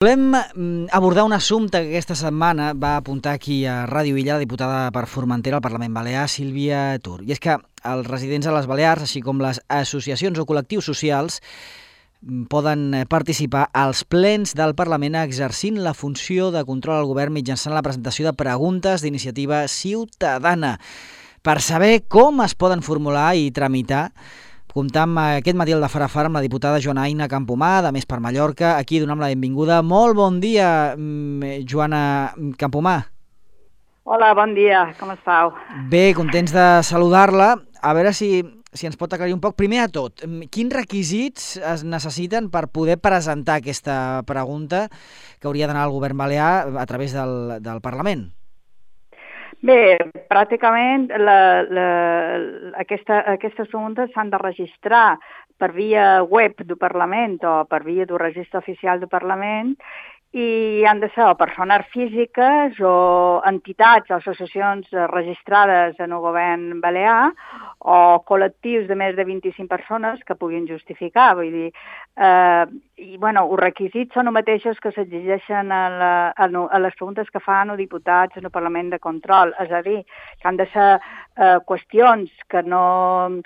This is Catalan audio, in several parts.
Volem abordar un assumpte que aquesta setmana va apuntar aquí a Ràdio Illa la diputada per Formentera al Parlament Balear, Sílvia Tur. I és que els residents a les Balears, així com les associacions o col·lectius socials, poden participar als plens del Parlament exercint la funció de control al govern mitjançant la presentació de preguntes d'iniciativa ciutadana. Per saber com es poden formular i tramitar, comptam aquest matí al de Fara Fara amb la diputada Joana Aina Campomar, de Més per Mallorca. Aquí donem la benvinguda. Molt bon dia, Joana Campomar. Hola, bon dia, com estàu? Bé, contents de saludar-la. A veure si ens pot aclarir un poc. Primer de tot, quins requisits es necessiten per poder presentar aquesta pregunta que hauria d'anar al govern balear a través del Parlament? Bé, pràcticament aquestes preguntes s'han de registrar per via web del Parlament o per via del registre oficial del Parlament i han de ser o persones físiques o entitats o associacions registrades en el govern balear o col·lectius de més de 25 persones que puguin justificar. Vull dir, els requisits són els mateixos que s'exigeixen a les preguntes que fan els diputats en el Parlament de Control, és a dir, que han de ser qüestions que no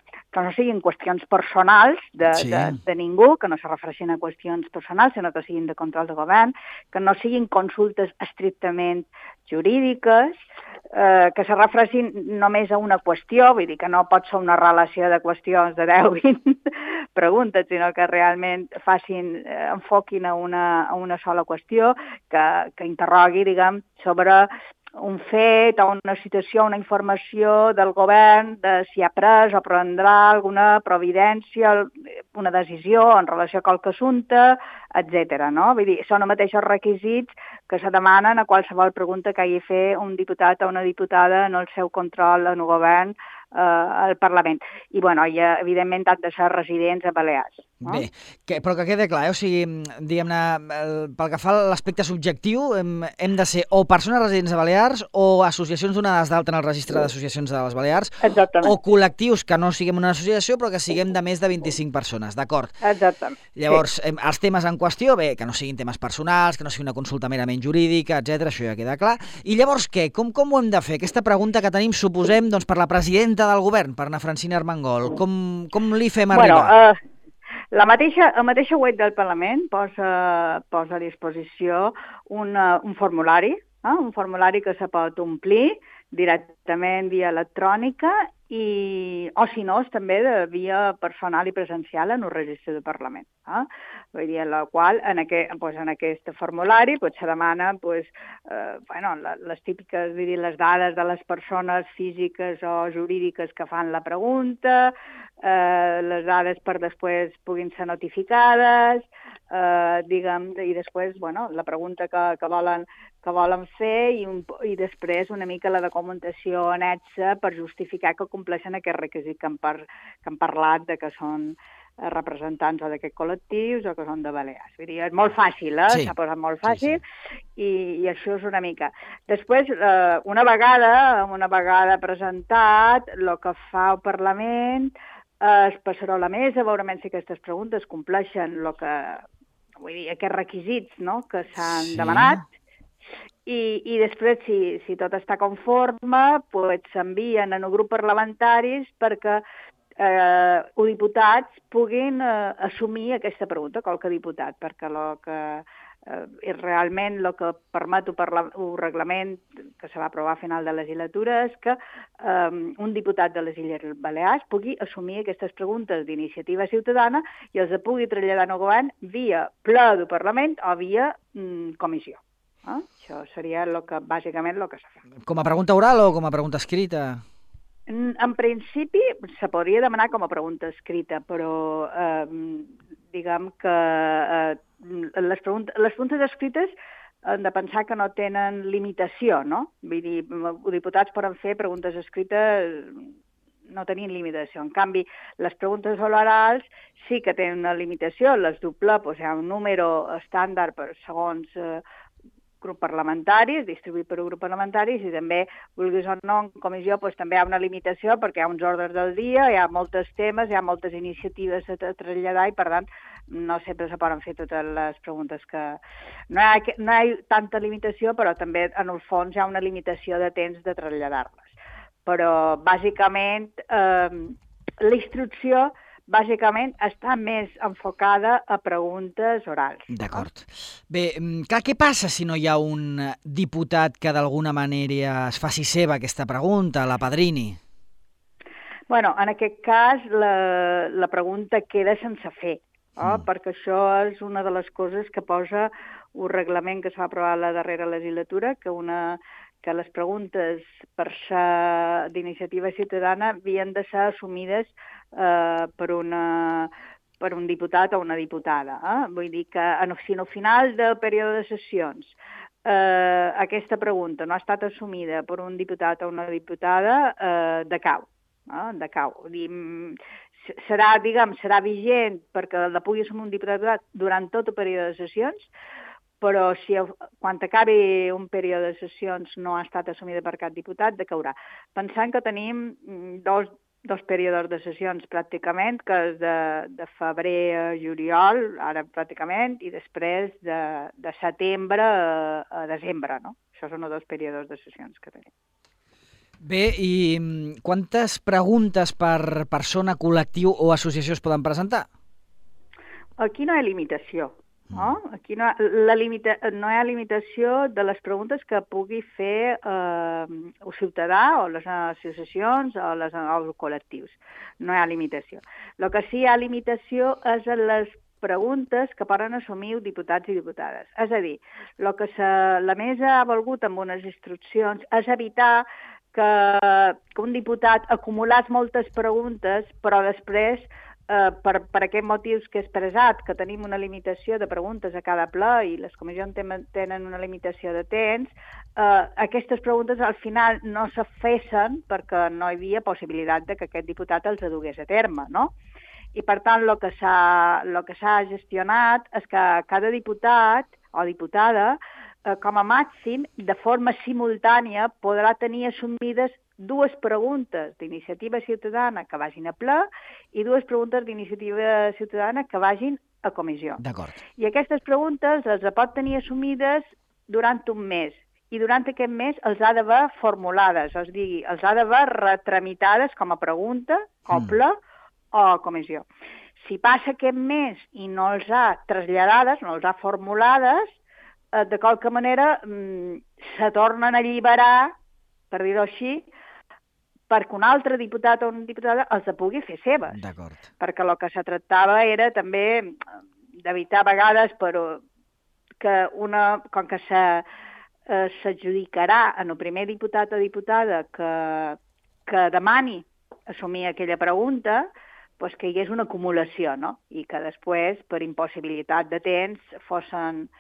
siguin qüestions personals de ningú, que no se refereixin a qüestions personals, sinó que siguin de control de govern, que no siguin consultes estrictament jurídiques, que se refereixin només a una qüestió, vull dir que no pot ser una relació de qüestions de 10-20 preguntes, sinó que realment enfoquin a una sola qüestió, que interrogui, diguem, sobre un fet o una situació, una informació del govern de si ha pres o prendrà alguna providència, una decisió en relació a qualque assumpte, etc. No? Vull dir, són els mateixos requisits que se demanen a qualsevol pregunta que hagi de fer un diputat o una diputada en el seu control en el govern al Parlament. I, evidentment, han de ser residents a Balears. No? Bé, però que quede clar, o sigui, diguem-ne, pel que fa a l'aspecte subjectiu, hem de ser o persones residents a Balears o associacions donades d'alta en el registre d'associacions de les Balears. Exactament. O col·lectius que no siguem una associació però que siguem de més de 25 persones, d'acord? Exactament. Llavors, els temes en qüestió, bé, que no siguin temes personals, que no sigui una consulta merament jurídica, etc. Això ja queda clar. I llavors què? Com ho hem de fer? Aquesta pregunta que tenim, suposem, doncs, per la presidenta del govern, per Ana Francina Armengol. Com li fem arribar? La mateixa web del Parlament posa a disposició un formulari, un formulari que se pot omplir directament via electrònica o si no, també de via personal i presencial en el registre del Parlament. Vull dir, en la qual, en aquest formulari se demana les típiques, vull dir, les dades de les persones físiques o jurídiques que fan la pregunta, les dades per després puguin ser notificades, i després la pregunta que volen fer i després una mica la documentació annexa per justificar que compleixen aquest requisit que han parlat de que són representants o d'aquests col·lectius o que són de Balears. Vull dir, és molt fàcil, Sí. S'ha posat molt fàcil. Sí. I això és una mica. Després, una vegada presentat, el que fa el Parlament es passarà a la mesa, veurem si aquestes preguntes compleixen aquests requisits, no?, que s'han demanat. I després, si tot està conforme, s'envien en el grup parlamentaris perquè els diputats puguin assumir aquesta pregunta, qualque diputat, perquè realment el que permet el reglament que se va aprovar a final de legislatura és que un diputat de les Illes Balears pugui assumir aquestes preguntes d'iniciativa ciutadana i els pugui traslladar al govern via ple del Parlament o via comissió. Això seria bàsicament el que s'ha fet. Com a pregunta oral o com a pregunta escrita? En principi se podria demanar com a pregunta escrita, però diguem que les preguntes escrites hem de pensar que no tenen limitació, no? Vull dir, els diputats poden fer preguntes escrites, no tenien limitació. En canvi, les preguntes orals sí que tenen una limitació, les doble, hi ha un número estàndard per segons grup parlamentaris, distribuït per grup parlamentaris, i també, vulguis o no, en comissió també hi ha una limitació perquè hi ha uns ordres del dia, hi ha molts temes, hi ha moltes iniciatives a traslladar i, per tant, no sempre se poden fer totes les preguntes que... No hi ha tanta limitació, però també, en el fons, hi ha una limitació de temps de traslladar-les. Però, bàsicament, la instrucció bàsicament està més enfocada a preguntes orals. D'acord. Bé, clar, què passa si no hi ha un diputat que d'alguna manera es faci seva aquesta pregunta, la padrini? Bueno, en aquest cas la pregunta queda sense fer, perquè això és una de les coses que posa un reglament que es va aprovar a la darrera legislatura, que les preguntes per ser d'iniciativa ciutadana havien de ser assumides per un diputat o una diputada. Vull dir que si al final del període de sessions aquesta pregunta no ha estat assumida per un diputat o una diputada, decau. Serà vigent perquè la pugui assumir un diputat durant tot el període de sessions, però si quan acabi un període de sessions no ha estat assumida per cap diputat, decaurà. Pensant que tenim dos períodes de sessions pràcticament, que és de febrer a juliol, ara pràcticament, i després de setembre a desembre, no? Això són els dos períodes de sessions que tenim. Bé, i quantes preguntes per persona, col·lectiu o associació es poden presentar? Aquí no hi ha limitació. Aquí no hi ha limitació de les preguntes que pugui fer el ciutadà o les associacions o els col·lectius. No hi ha limitació. El que sí hi ha limitació és en les preguntes que poden assumir diputats i diputades. És a dir, el que la mesa ha volgut amb unes instruccions és evitar que un diputat acumulés moltes preguntes, però després per aquests motius que he expressat, que tenim una limitació de preguntes a cada ple i les comissions tenen una limitació de temps, aquestes preguntes al final no se fessin perquè no hi havia possibilitat que aquest diputat els dugués a terme, no? I per tant el que s'ha gestionat és que cada diputat o diputada com a màxim, de forma simultània, podrà tenir assumides dues preguntes d'iniciativa ciutadana que vagin a ple i dues preguntes d'iniciativa ciutadana que vagin a comissió. D'acord. I aquestes preguntes les pot tenir assumides durant un mes i durant aquest mes els ha d'haver formulades, és a dir, els ha d'haver retramitades com a pregunta, o ple, o a comissió. Si passa aquest mes i no els ha traslladades, no els ha formulades, de qualque manera se tornen a alliberar, per dir-ho així, perquè un altre diputat o una diputada els pugui fer seves. D'acord. Perquè el que se tractava era també d'evitar a vegades que com que s'adjudicarà en el primer diputat o diputada que demani assumir aquella pregunta, doncs que hi hagués una acumulació, no? I que després, per impossibilitat de temps, fossin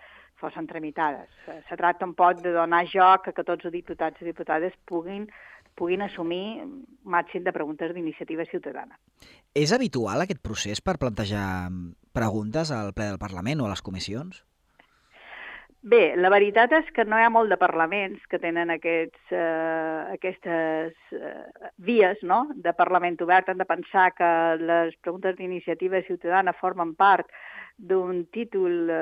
tramitades. Se tracta un poc de donar joc a que tots els diputats i diputades puguin assumir un màxim de preguntes d'iniciativa ciutadana. És habitual aquest procés per plantejar preguntes al ple del Parlament o a les comissions? Bé, la veritat és que no hi ha molt de parlaments que tenen aquestes vies, no?, de Parlament obert. Hem de pensar que les preguntes d'iniciativa ciutadana formen part d'un títol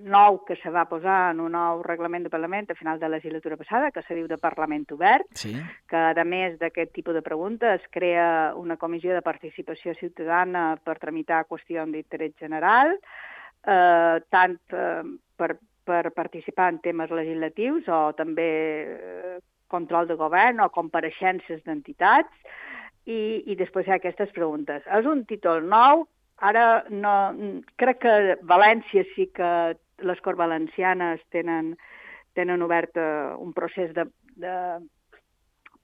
nou que se va posar en un nou reglament de Parlament a final de la legislatura passada, que se diu de Parlament obert, sí, que a més d'aquest tipus de preguntes es crea una comissió de participació ciutadana per tramitar qüestions d'interès general, tant per participar en temes legislatius o també control de govern o compareixences d'entitats, i després hi ha aquestes preguntes. És un títol nou. Ara no, crec que València sí que les Corts Valencianes tenen obert un procés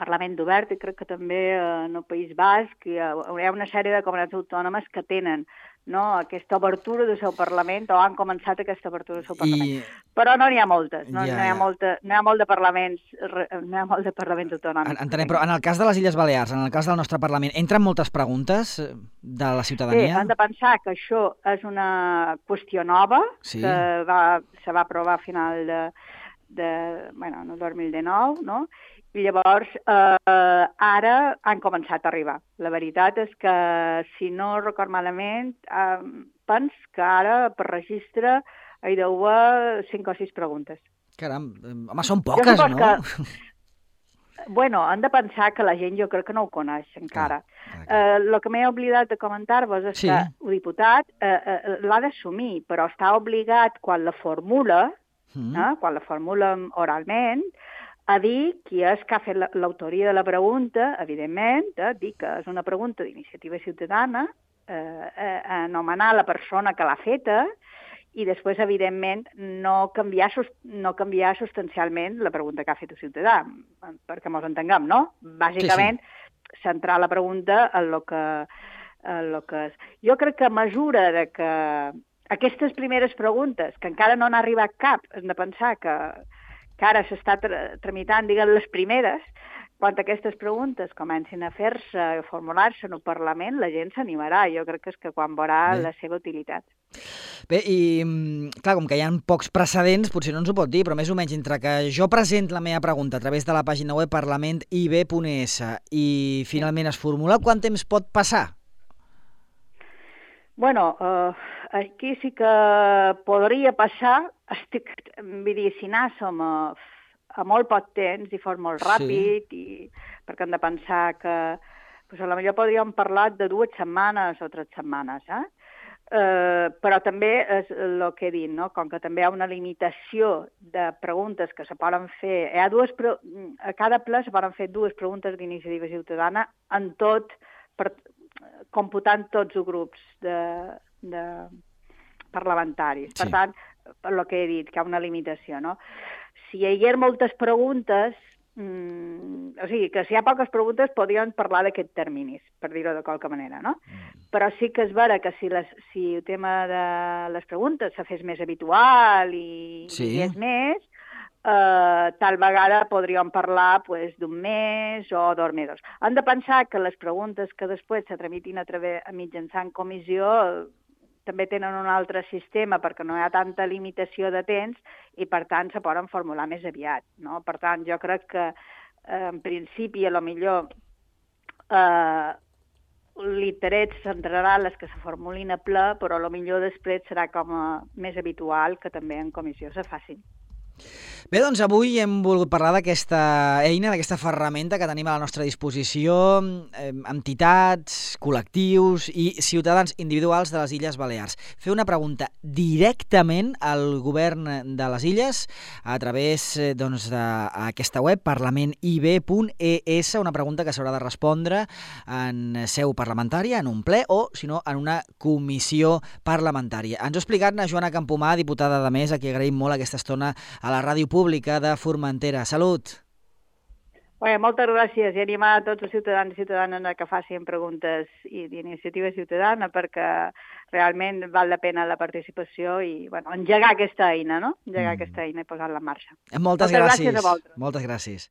Parlament obert, i crec que també en el País Basc hi ha una sèrie de comunitats autònomes que tenen, no, aquesta obertura del seu Parlament, o han començat aquesta obertura del seu Parlament. Però no n'hi ha moltes, no hi ha molt de parlaments autonòmics. Entenem, però en el cas de les Illes Balears, en el cas del nostre Parlament, entren moltes pregunes de la ciutadania? Sí, han de pensar que això és una qüestió nova, que se va aprovar a final en el 2019, no? I llavors ara han començat a arribar. La veritat és que, si no record malament, pens que ara per registre hi deu haver 5 o 6 preguntes. Caram, home, són poques, no? Bueno, han de pensar que la gent jo crec que no ho coneix encara. El que m'he oblidat de comentar-vos és que el diputat l'ha d'assumir, però està obligat, quan la formula oralment, a dir qui és que ha fet l'autoria de la pregunta, evidentment, dir que és una pregunta d'iniciativa ciutadana, anomenar la persona que l'ha feta, i després, evidentment, no canviar substancialment la pregunta que ha fet el ciutadà, perquè ens entenguem, no? Bàsicament, centrar la pregunta en el que és. Jo crec que a mesura que aquestes primeres preguntes, que encara no n'ha arribat cap, hem de pensar que ara s'està tramitant, diguem, les primeres, quan aquestes preguntes comencin a fer-se, a formular-se en el Parlament, la gent s'animarà. Jo crec que és que quan veurà la seva utilitat. Bé, i clar, com que hi ha pocs precedents, potser no ens ho pot dir, però més o menys entre que jo presento la meva pregunta a través de la pàgina web parlamentib.es i finalment es formula, quant temps pot passar? Bueno, aquí sí que podria passar, si anàssim a molt poc temps i fos molt ràpid, perquè hem de pensar que potser podríem parlar de 2 setmanes o 3 setmanes, però també és el que he dit, no? Com que també hi ha una limitació de preguntes que se poden fer, a cada ple se poden fer 2 preguntes d'iniciativa ciutadana en tot, computant tots els grups parlamentaris. Per tant, per el que he dit, que hi ha una limitació, no? Si hi hagués moltes preguntes, o sigui, que si hi ha poques preguntes podríem parlar d'aquests terminis, per dir-ho de qualque manera, no? Però sí que és vera que si el tema de les preguntes se fes més habitual i hi és més, tal vegada podríem parlar d'un mes o 2 mesos. Han de pensar que les preguntes que després se tramitin mitjançant comissió també tenen un altre sistema perquè no hi ha tanta limitació de temps i, per tant, se poden formular més aviat, no? Per tant, jo crec que, en principi, a lo millor l'interès centrarà les que se formulin a ple, però a lo millor després serà com més habitual que també en comissió se facin. Bé, doncs avui hem volgut parlar d'aquesta eina, d'aquesta ferramenta que tenim a la nostra disposició, entitats, col·lectius i ciutadans individuals de les Illes Balears. Fer una pregunta directament al govern de les Illes a través d'aquesta web, parlamentib.es, una pregunta que s'haurà de respondre en seu parlamentària, en un ple o, si no, en una comissió parlamentària. Ens ho ha explicat la Joana Campomà, diputada de Més, a qui agraïm molt aquesta estona a la Ràdio Pública de Formentera. Salut! Bé, moltes gràcies i animar a tots els ciutadans i ciutadanes que facin preguntes d'iniciativa ciutadana perquè realment val la pena la participació i engegar aquesta eina, no? Engegar aquesta eina i posar-la en marxa. Moltes gràcies a vosaltres. Moltes gràcies.